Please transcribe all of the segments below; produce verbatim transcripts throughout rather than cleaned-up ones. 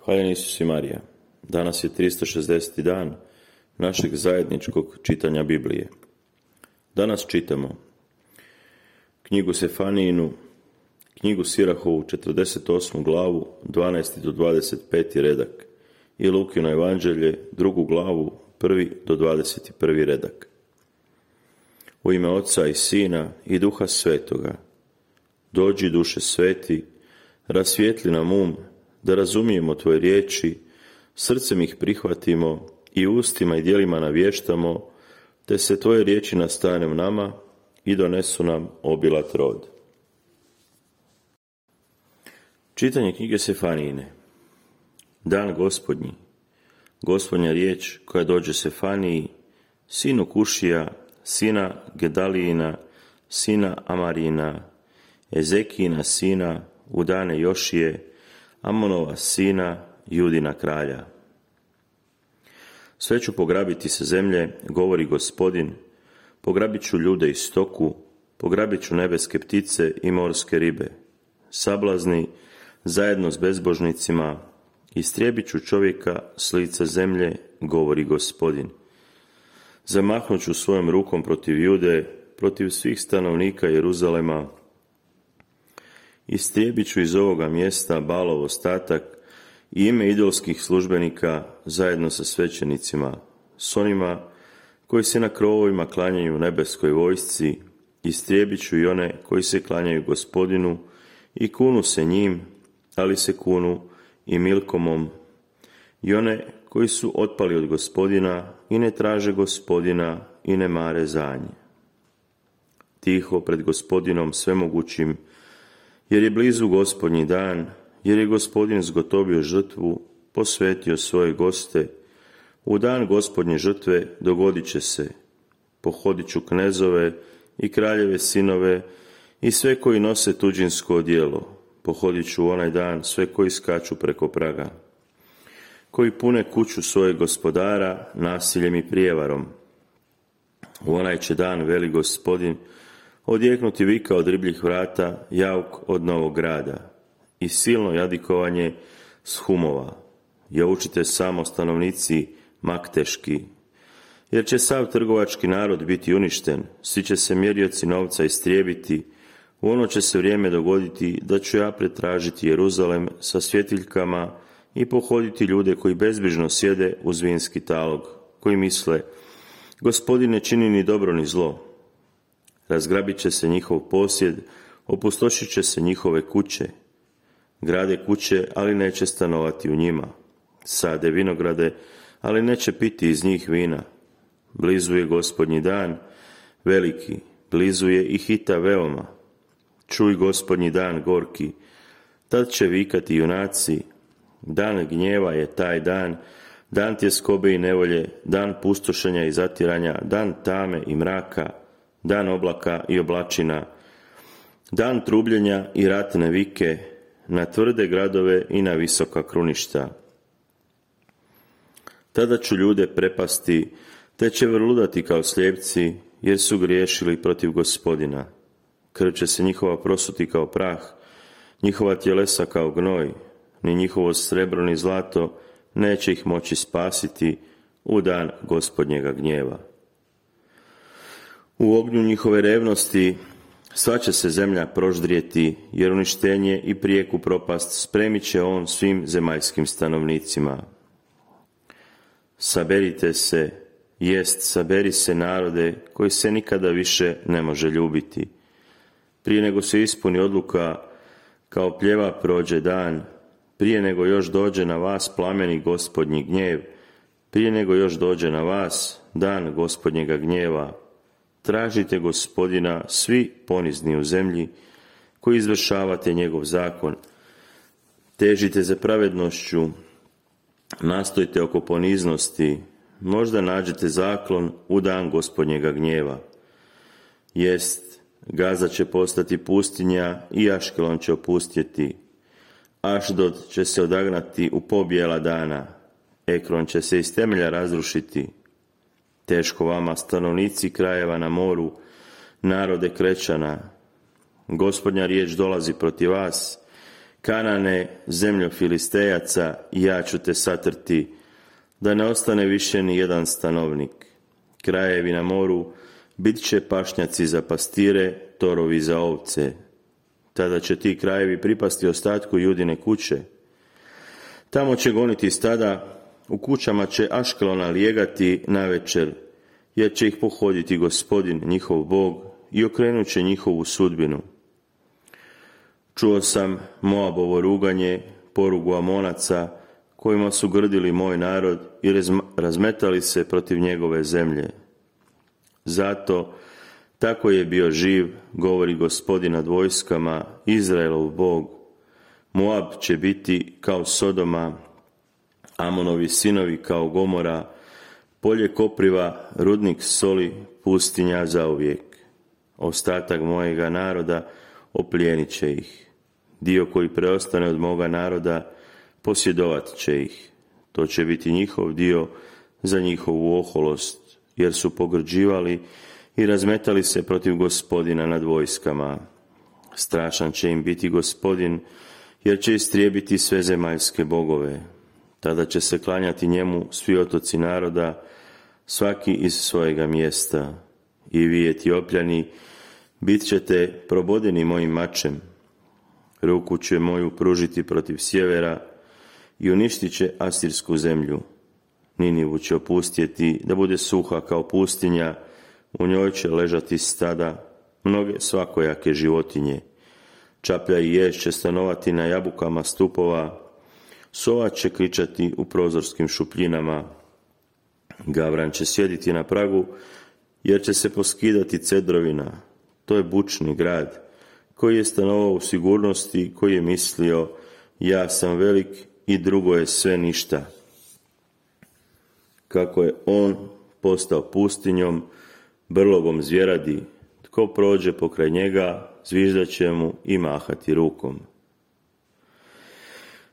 Hvaljen Isus i Marija. Danas je tristo šezdeseti dan našeg zajedničkog čitanja Biblije. Danas čitamo knjigu Sefanijinu, knjigu Sirahovu, četrdeset osmu glavu, dvanaesti do dvadeset peti redak i Lukino evanđelje, drugu glavu, prvi do dvadeset prvi redak. U ime Oca i Sina i Duha Svetoga. Dođi, Duše Sveti, rasvijetli nam um, da razumijemo Tvoje riječi, srcem ih prihvatimo i ustima i djelima navještamo, te se Tvoje riječi nastane u nama i donesu nam obilat rod. Čitanje knjige Sefanijine. Dan Gospodnji. Gospodnja riječ koja dođe Sefaniji, sinu Kušija, sina Gedalijina, sina Amarijina, Ezekijina sina, u dane Jošije, Amonova sina, Judina kralja. Sve ću pograbiti sa zemlje, govori Gospodin, pograbit ću ljude i stoku, pograbit ću nebeske ptice i morske ribe. Sablazni, zajedno s bezbožnicima, istrijebit ću čovjeka s lica zemlje, govori Gospodin. Zamahnut ću svojom rukom protiv Jude, protiv svih stanovnika Jeruzalema, istrijebit ću iz ovoga mjesta Balov ostatak i ime idolskih službenika zajedno sa svećenicima, s onima koji se na krovovima klanjaju nebeskoj vojsci, istrijebit ću i one koji se klanjaju Gospodinu i kunu se njim, ali se kunu i Milkomom, i one koji su otpali od Gospodina i ne traže Gospodina i ne mare za nje. Tiho pred Gospodinom svemogućim, jer je blizu Gospodnji dan, jer je Gospodin zgotovio žrtvu, posvetio svoje goste. U dan Gospodnje žrtve dogodit će se. Pohodit ću knezove i kraljeve sinove i sve koji nose tuđinsko odijelo. Pohodit ću onaj dan sve koji skaču preko praga, koji pune kuću svojeg gospodara nasiljem i prijevarom. U onaj će dan, veli Gospodin, odjeknuti vika od ribljih vrata, jauk od novog grada i silno jadikovanje s humova. Jaučite samo stanovnici Makteški, jer će sav trgovački narod biti uništen, svi će se mjerioci novca istrijebiti. U ono će se vrijeme dogoditi da ću ja pretražiti Jeruzalem sa svjetiljkama i pohoditi ljude koji bezbrižno sjede uz vinski talog, koji misle, Gospodin ne čini ni dobro ni zlo. Razgrabit će se njihov posjed, opustošit će se njihove kuće. Grade kuće, ali neće stanovati u njima. Sade vinograde, ali neće piti iz njih vina. Blizu je Gospodnji dan, veliki, blizu je i hita veoma. Čuj Gospodnji dan gorki, tad će vikati junaci. Dan gnjeva je taj dan, dan tjeskobe i nevolje, dan pustošenja i zatiranja, dan tame i mraka, dan oblaka i oblačina, dan trubljenja i ratne vike, na tvrde gradove i na visoka kruništa. Tada ću ljude prepasti, te će vrludati kao slijepci, jer su griješili protiv Gospodina. Krv će se njihova prosuti kao prah, njihova tjelesa kao gnoj, ni njihovo srebro ni zlato neće ih moći spasiti u dan Gospodnjega gnjeva. U ognju njihove revnosti sva će se zemlja proždrijeti, jer uništenje i prijeku propast spremit će on svim zemaljskim stanovnicima. Saberite se, jest, saberi se narode koji se nikada više ne može ljubiti. Prije nego se ispuni odluka, kao pljeva prođe dan, prije nego još dođe na vas plameni Gospodnji gnjev, prije nego još dođe na vas dan Gospodnjega gnjeva. Tražite Gospodina svi ponizni u zemlji, koji izvršavate njegov zakon. Težite za pravednošću, nastojte oko poniznosti, možda nađete zaklon u dan Gospodnjega gnjeva. Jest, Gaza će postati pustinja i Aškelon će opustjeti. Ašdod će se odagnati u pobjela dana, Ekron će se iz temelja razrušiti. Teško vama, stanovnici krajeva na moru, narode Krećana. Gospodnja riječ dolazi protiv vas, Kanane, zemljo Filistejaca, ja ću te satrti, da ne ostane više ni jedan stanovnik. Krajevi na moru bit će pašnjaci za pastire, torovi za ovce. Tada će ti krajevi pripasti ostatku Judine kuće. Tamo će goniti stada, u kućama će Aškelona lijegati navečer, jer će ih pohoditi Gospodin, njihov Bog, i okrenut će njihovu sudbinu. Čuo sam Moabovo ruganje, porugu Amonaca, kojima su grdili moj narod i razmetali se protiv njegove zemlje. Zato, tako je bio živ, govori Gospodin nad vojskama, Izraelov Bog. Moab će biti kao Sodoma, Amonovi sinovi kao Gomora, polje kopriva, rudnik soli, pustinja zauvijek. Ostatak mojega naroda oplijenit će ih. Dio koji preostane od moga naroda posjedovat će ih. To će biti njihov dio za njihovu oholost, jer su pogrđivali i razmetali se protiv Gospodina nad vojskama. Strašan će im biti Gospodin, jer će istrijebiti sve zemaljske bogove. Tada će se klanjati njemu svi otoci naroda, svaki iz svojega mjesta. I vi, Etiopljani, bit ćete probodeni mojim mačem. Ruku će moju pružiti protiv sjevera i uništit će asirsku zemlju. Ninivu će opustjeti da bude suha kao pustinja, u njoj će ležati stada, mnoge svakojake životinje. Čaplja i ješ će stanovati na jabukama stupova, sova će kričati u prozorskim šupljinama. Gavran će sjediti na pragu, jer će se poskidati cedrovina. To je bučni grad, koji je stanovao u sigurnosti, koji je mislio, ja sam velik i drugo je sve ništa. Kako je on postao pustinjom, brlogom zvjeradi, tko prođe pokraj njega, zviždat će mu i mahati rukom.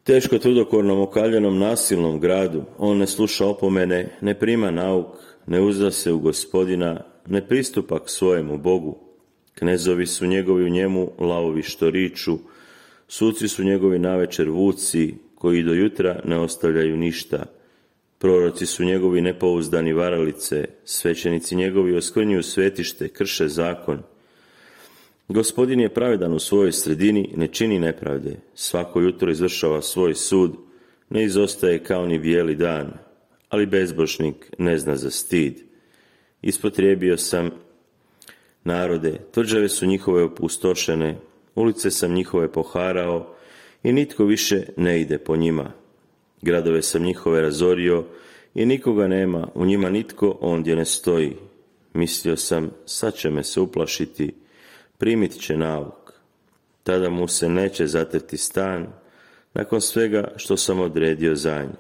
Teško tvrdokornom okaljenom nasilnom gradu, on ne sluša opomene, ne prima nauk, ne uzda se u Gospodina, ne pristupa k svojemu Bogu. Knezovi su njegovi u njemu lavovi što riču, suci su njegovi navečer vuci, koji do jutra ne ostavljaju ništa. Proroci su njegovi nepouzdani varalice, svećenici njegovi oskvrnjuju svetište, krše zakon. Gospodin je pravedan u svojoj sredini, ne čini nepravde, svako jutro izvršava svoj sud, ne izostaje kao ni bijeli dan, ali bezbožnik ne zna za stid. Ispotrijebio sam narode, tvrđave su njihove opustošene, ulice sam njihove poharao i nitko više ne ide po njima. Gradove sam njihove razorio i nikoga nema, u njima nitko ondje ne stoji. Mislio sam, sad će me se uplašiti, primit će nauk. Tada mu se neće zatrti stan, nakon svega što sam odredio za nj.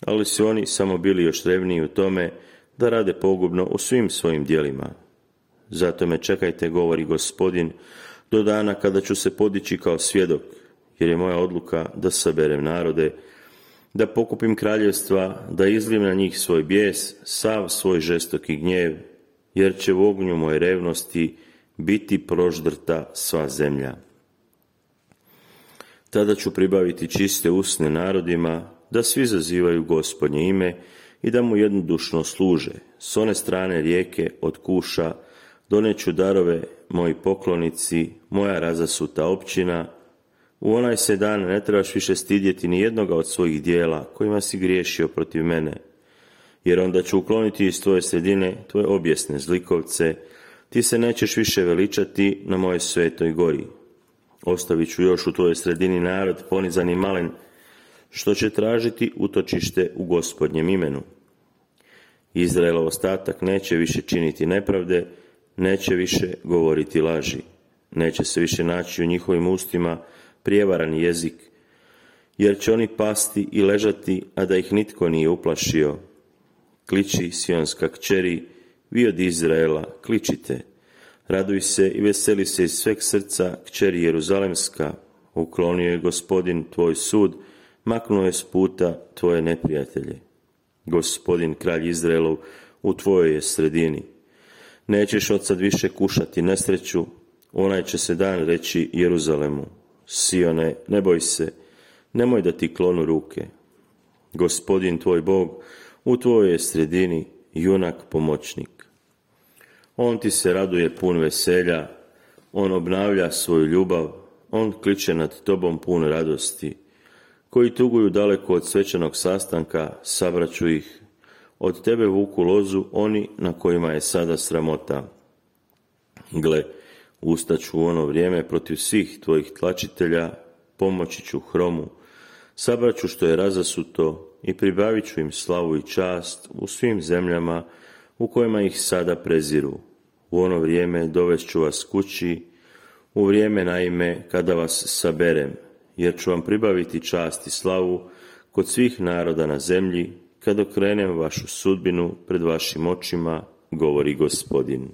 Ali su oni samo bili još revniji u tome da rade pogubno u svim svojim djelima. Zato me čekajte, govori Gospodin, do dana kada ću se podići kao svjedok, jer je moja odluka da saberem narode, da pokupim kraljevstva, da izlijem na njih svoj bijes, sav svoj žestoki gnjev, jer će u ognju moje revnosti biti proždrta sva zemlja. Tada ću pribaviti čiste usne narodima, da svi zazivaju Gospodnje ime i da mu jednodušno služe. S one strane rijeke od Kuša doneću darove moji poklonici, moja razasuta općina. U onaj se dan ne trebaš više stidjeti ni jednoga od svojih dijela kojima si griješio protiv mene, jer onda ću ukloniti iz tvoje sredine tvoje objesne zlikovce, ti se nećeš više veličati na moje svetoj gori. Ostavit ću još u tvojoj sredini narod ponizan i malen, što će tražiti utočište u Gospodnjem imenu. Izraelov ostatak neće više činiti nepravde, neće više govoriti laži, neće se više naći u njihovim ustima prijevaran jezik, jer će oni pasti i ležati, a da ih nitko nije uplašio. Kliči, Sionska kćeri, vi od Izraela, kličite. Raduj se i veseli se iz sveg srca, kćeri Jeruzalemska. Uklonio je Gospodin tvoj sud, maknuo je s puta tvoje neprijatelje. Gospodin, kralj Izraelov, u tvojoj je sredini. Nećeš od sad više kušati nesreću, onaj će se dan reći Jeruzalemu. Sione, ne boj se, nemoj da ti klonu ruke. Gospodin tvoj Bog u tvojoj je sredini, junak pomoćnik. On ti se raduje pun veselja, on obnavlja svoju ljubav, on kliče nad tobom pun radosti. Koji tuguju daleko od svečanog sastanka, sabraću ih. Od tebe vuku lozu oni na kojima je sada sramota. Gle, ustaću u ono vrijeme protiv svih tvojih tlačitelja, pomoći ću hromu, sabraću što je razasuto i pribavit ću im slavu i čast u svim zemljama u kojima ih sada preziru. U ono vrijeme dovest ću vas kući, u vrijeme naime kada vas saberem, jer ću vam pribaviti čast i slavu kod svih naroda na zemlji, kad okrenem vašu sudbinu pred vašim očima, govori Gospodin.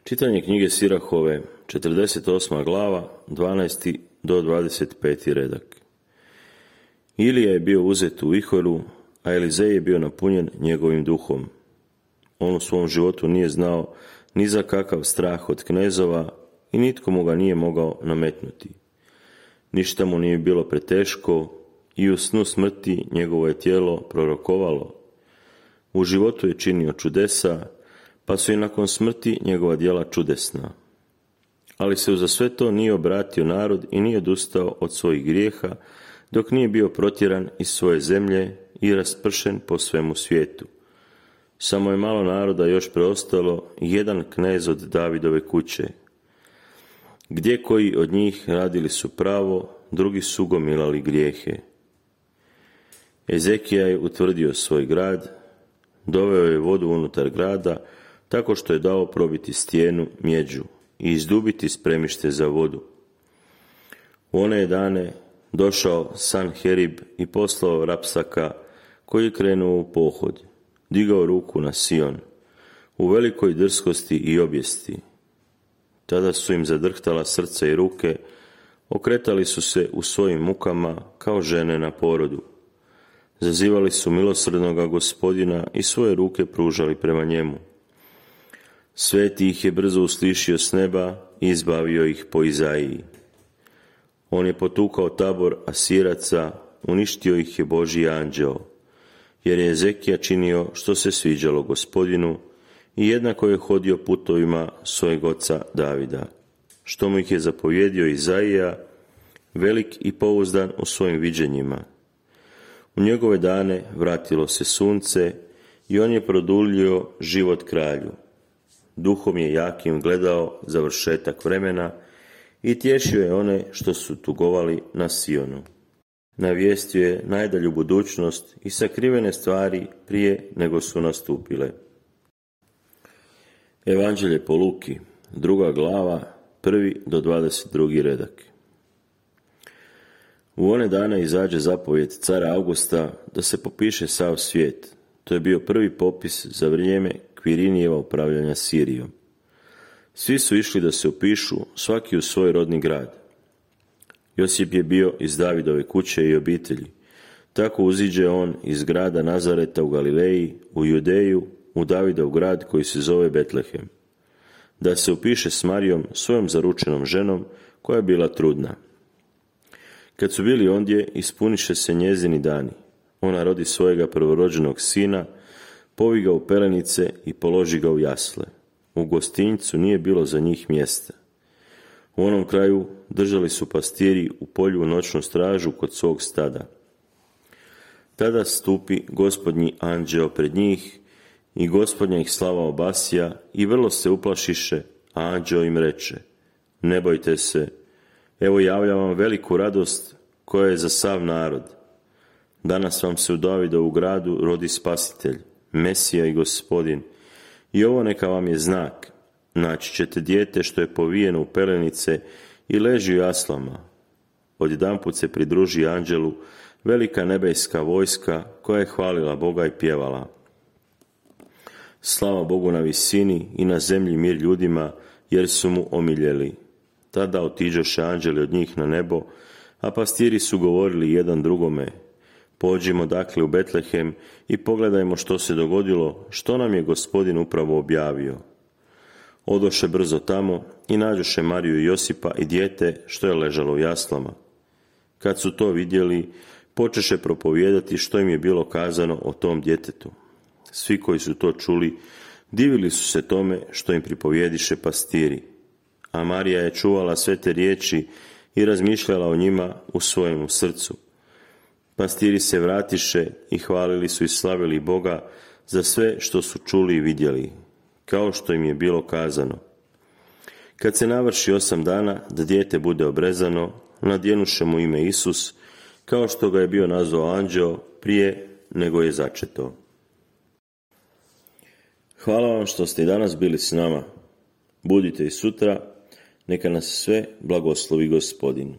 Čitanje knjige Sirahove, četrdeset osma glava, dvanaesti do dvadeset peti redak. Ilija je bio uzet u vihoru, a Elizej je bio napunjen njegovim duhom. On u svom životu nije znao ni za kakav strah od knezova i nitko mu ga nije mogao nametnuti. Ništa mu nije bilo preteško i u snu smrti njegovo je tijelo prorokovalo. U životu je činio čudesa, pa su i nakon smrti njegova djela čudesna. Ali se uza sve to nije obratio narod i nije odustao od svojih grijeha, dok nije bio protjeran iz svoje zemlje i raspršen po svemu svijetu. Samo je malo naroda još preostalo i jedan knez od Davidove kuće. Gdje koji od njih radili su pravo, drugi su gomilali grijehe. Ezekija je utvrdio svoj grad, doveo je vodu unutar grada, tako što je dao probiti stijenu mjeđu i izdubiti spremište za vodu. U one je dane došao Sanherib i poslao Rapsaka, koji je krenuo u pohod, digao ruku na Sion, u velikoj drskosti i objesti. Tada su im zadrhtala srca i ruke, okretali su se u svojim mukama kao žene na porodu. Zazivali su milosrdnoga Gospodina i svoje ruke pružali prema njemu. Sveti ih je brzo uslišio s neba i izbavio ih po Izaiji. On je potukao tabor Asiraca, uništio ih je Božji anđeo, jer je Ezekija činio što se sviđalo Gospodinu i jednako je hodio putovima svojeg oca Davida, što mu ih je zapovjedio Izaija, velik i pouzdan u svojim viđenjima. U njegove dane vratilo se sunce i on je produljio život kralju. Duhom je jakim gledao završetak vremena i tješio je one što su tugovali na Sionu. Navijestio je najdalju budućnost i sakrivene stvari prije nego su nastupile. Evanđelje po Luki, druga glava, prvi do dvadeset drugi redak. U one dane izađe zapovjed cara Augusta da se popiše sav svijet. To je bio prvi popis za vrijeme Kvirinijeva upravljanja Sirijom. Svi su išli da se upišu, svaki u svoj rodni grad. Josip je bio iz Davidove kuće i obitelji. Tako uziđe on iz grada Nazareta u Galileji, u Judeju, u Davidov grad koji se zove Betlehem, da se upiše s Marijom, svojom zaručenom ženom, koja je bila trudna. Kad su bili ondje, ispuniše se njezini dani. Ona rodi svojega prvorođenog sina, povi ga u pelenice i položi ga u jasle. U gostinjcu nije bilo za njih mjesta. U onom kraju držali su pastiri u polju noćnu stražu kod svog stada. Tada stupi Gospodnji anđeo pred njih i Gospodnja ih slava obasja i vrlo se uplašiše, a anđeo im reče: ne bojte se, evo javljam vam veliku radost koja je za sav narod. Danas vam se u Davidovu gradu rodi spasitelj, Mesija i Gospodin, i ovo neka vam je znak. Naći ćete dijete što je povijeno u pelenice i leži u jaslama. Odjedanput se pridruži anđelu velika nebeska vojska koja je hvalila Boga i pjevala: slava Bogu na visini i na zemlji mir ljudima, jer su mu omiljeli. Tada otiđoše anđeli od njih na nebo, a pastiri su govorili jedan drugome: pođimo dakle u Betlehem i pogledajmo što se dogodilo, što nam je Gospodin upravo objavio. Odoše brzo tamo i nađoše Mariju i Josipa i dijete što je ležalo u jaslama. Kad su to vidjeli, počeše propovijedati što im je bilo kazano o tom djetetu. Svi koji su to čuli, divili su se tome što im pripovijediše pastiri. A Marija je čuvala sve te riječi i razmišljala o njima u svojemu srcu. Pastiri se vratiše i hvalili su i slavili Boga za sve što su čuli i vidjeli, kao što im je bilo kazano. Kad se navrši osam dana da dijete bude obrezano, nadjenuše mu ime Isus, kao što ga je bio nazvao anđeo prije nego je začeto. Hvala vam što ste i danas bili s nama. Budite i sutra, neka nas sve blagoslovi Gospodin.